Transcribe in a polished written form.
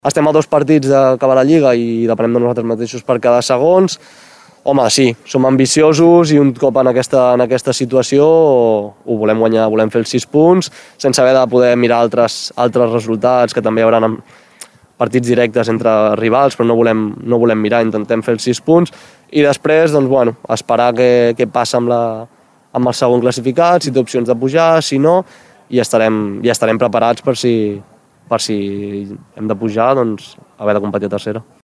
Estem a 2 partits d'acabar la Lliga i depenem de nosaltres mateixos per cada segons. Home, sí, som ambiciosos i un cop en aquesta situació ho volem guanyar, volem fer els 6 punts, sense haver de poder mirar altres resultats, que també hi haurà partits directes entre rivals, però no volem mirar, intentem fer els 6 punts i després doncs, esperar què passa amb el segon classificat, si té opcions de pujar, si no, i estarem preparats per si hem de pujar, doncs haver de competir a tercera.